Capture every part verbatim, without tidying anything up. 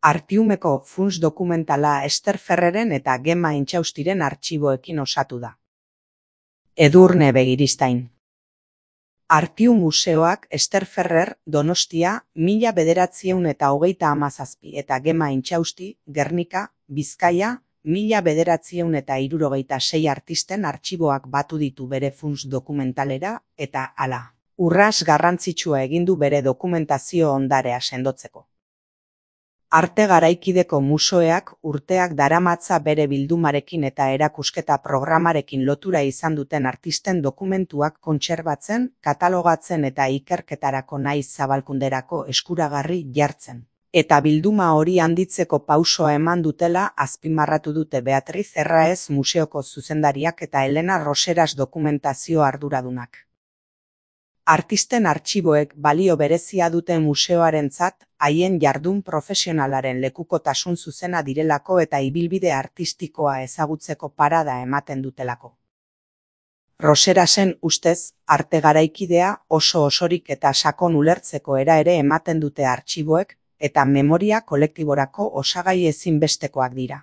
Artiumeko funts dokumentala Ester Ferreren eta Gemma Intxaustiren artxiboekin osatu da. Edurne Begiristain. Artium Museoak Ester Ferrer Donostia mila bederatziehun eta hogeita hamazazpi eta Gemma Intxausti Gernika Bizkaia mila bederatziehun eta hirurogeita sei artisten artxiboak batu ditu bere funts dokumentalera eta hala. Urras garrantzitsua egin du bere dokumentazio ondarea sendotzeko. Arte Garaikideko Museoak urteak daramatza bere bildumarekin eta erakusketa programarekin lotura izan duten artisten dokumentuak kontserbatzen, katalogatzen eta ikerketarako naiz zabalkunderako eskuragarri jartzen. Eta bilduma hori handitzeko pausoa eman dutela azpimarratu dute Beatriz Erraez museoko zuzendariak eta Elena Roseras dokumentazio arduradunak. Artisten artxiboek balio berezia dute museoarentzat, haien jardun profesionalaren lekukotasun zuzena direlako eta ibilbide artistikoa ezagutzeko parada ematen dutelako. Roserasen ustez, arte garaikidea oso osorik eta sakon ulertzeko era ere ematen dute artxiboek, eta memoria kolektiborako osagai ezinbestekoak dira.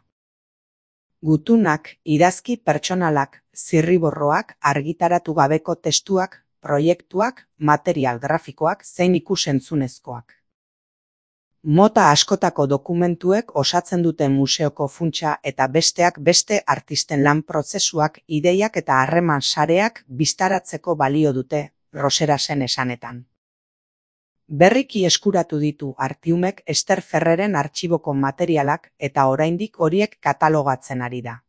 Gutunak, idazki pertsonalak, zirriborroak, argitaratu gabeko testuak, proiektuak, material grafikoak zein ikus-entzunezkoak. Mota askotako dokumentuek osatzen dute museoko funtsa eta besteak beste artisten lan prozesuak, ideiak eta harreman sareak bistaratzeko balio dute, Roserasen esanetan. Berriki eskuratu ditu Artiumek Ester Ferreren artxiboko materialak eta oraindik horiek katalogatzen ari da.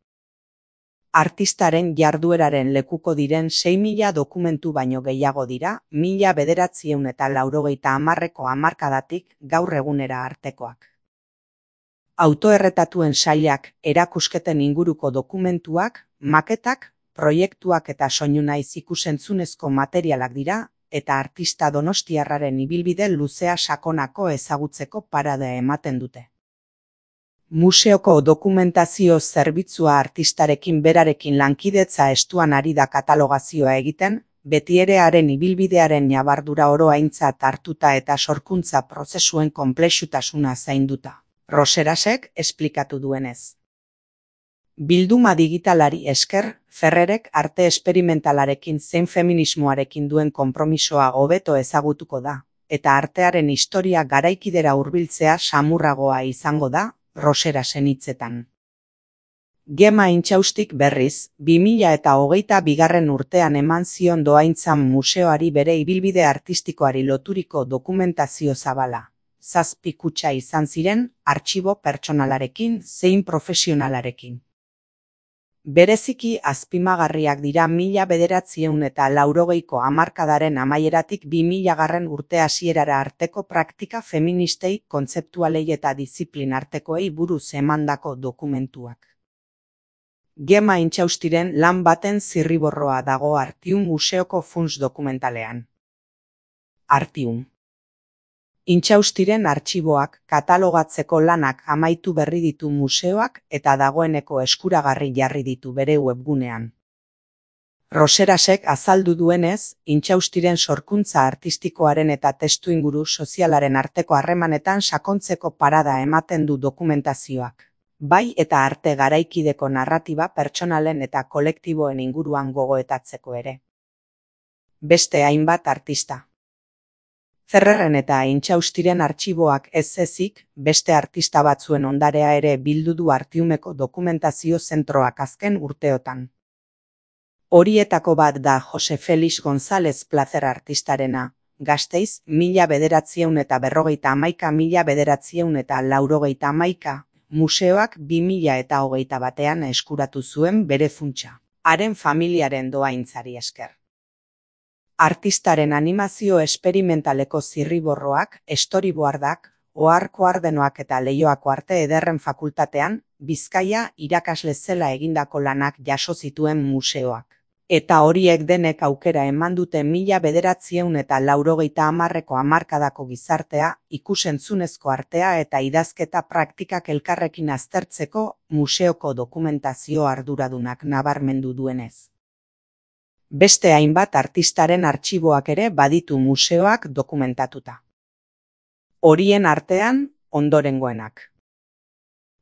Artistaren jardueraren lekuko diren sei mila dokumentu baino gehiago dira, mila bederatziehun eta laurogeita hamarreko hamarkadatik gaur egunera artekoak. Autoerretatuen sailak, erakusketen inguruko dokumentuak, maketak, proiektuak eta soinu naiz ikus-entzunezko materialak dira, eta artista donostiarraren ibilbide luzea sakonako ezagutzeko parada ematen dute. Museoko dokumentazio zerbitzua artistarekin berarekin lankidetza estuan ari da katalogazioa egiten, beti ere haren ibilbidearen ñabardura oro aintzat hartuta eta sorkuntza prozesuen konplexutasuna zainduta. Roserasek esplikatu duenez. Bilduma digitalari esker, Ferrerek arte esperimentalarekin zein feminismoarekin duen konpromisoa hobeto ezagutuko da, eta artearen historia garaikidera hurbiltzea samurragoa izango da, Roserasen hitzetan. Gemma Intxaustik berriz, bi mila eta hogeita bigarren urtean eman zion dohaintzan museoari bere ibilbide artistikoari loturiko dokumentazio zabala. Zazpi kutxa izan ziren, artxibo pertsonalarekin zein profesionalarekin. Bereziki azpimagarriak dira mila bederatziehun eta laurogeiko hamarkadaren amaieratik bi milagarren urte hasierara arteko praktika feministei, kontzeptualei eta diziplin artekoei buruz emandako dokumentuak. Gemma Intxaustiren lan baten zirriborroa dago Artium Museoko funts dokumentalean. Artium. Intxaustiren artxiboak katalogatzeko lanak amaitu berri ditu museoak eta dagoeneko eskuragarri jarri ditu bere webgunean. Roserasek azaldu duenez, Intxaustiren sorkuntza artistikoaren eta testuinguru sozialaren arteko harremanetan sakontzeko parada ematen du dokumentazioak. Bai eta arte garaikideko narratiba pertsonalen eta kolektiboen inguruan gogoetatzeko ere. Beste hainbat artista. Ferreren eta Intxaustiren artxiboak ez ezik, beste artista batzuen ondarea ere bildu du Artiumeko dokumentazio zentroak azken urteotan. Horietako bat da Jose Felix González Plazer artistarena, Gasteiz mila bederatziehun eta berrogeita hamaika mila bederatziehun eta laurogeita hamaika, museoak bi mila eta hogeita batean eskuratu zuen bere funtsa, haren familiaren dohaintzari esker. Artistaren animazio esperimentaleko zirriborroak, storyboardak, ohar-koardenoak eta Leioako Arte Ederren Fakultatean, Bizkaia irakasle zela egindako lanak jaso zituen museoak. Eta horiek denek aukera eman dute mila bederatziehun eta laurogeita hamarreko hamarkadako gizartea, ikus-entzunezko artea eta idazketa praktikak elkarrekin aztertzeko museoko dokumentazio arduradunak nabarmendu duenez. Beste hainbat artistaren artxiboak ere baditu museoak dokumentatuta. Horien artean, ondorengoenak.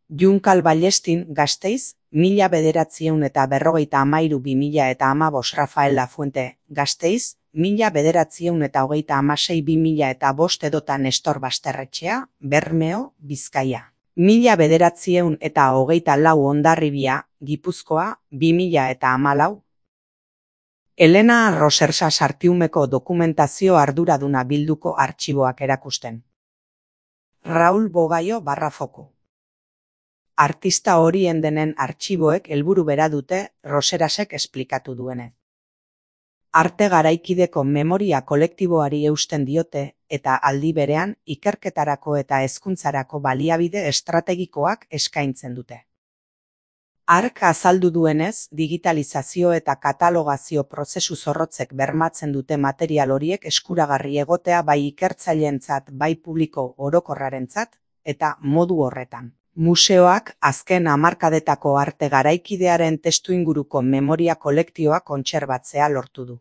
Junkal Ballestin, Gasteiz, mila bederatziehun eta berrogeita hamairu bi mila eta hamabost Rafael Lafuente, Gasteiz, mila bederatziehun eta hogeita hamasei bi mila eta bost edota Nestor Basterretxea, Bermeo, Bizkaia. Mila bederatziehun eta hogeita lau Hondarribia, Gipuzkoa, bi mila eta hamalau. Elena Rosersa Sartiumeko dokumentazio arduraduna bilduko artxiboak erakusten. Raul Bogaio Barrafoko. Artista horien denen artxiboek helburu bera dute Roserasek esplikatu duenez. Arte garaikideko memoria kolektiboari eusten diote eta aldi berean ikerketarako eta hezkuntzarako baliabide estrategikoak eskaintzen dute. Hark azaldu duenez, digitalizazio eta katalogazio prozesu zorrotzek bermatzen dute material horiek eskuragarri egotea bai ikertzaileentzat bai publiko orokorrarentzat eta modu horretan. Museoak azken hamarkadetako arte garaikidearen testuinguruko memoria kolektioa kontserbatzea lortu du.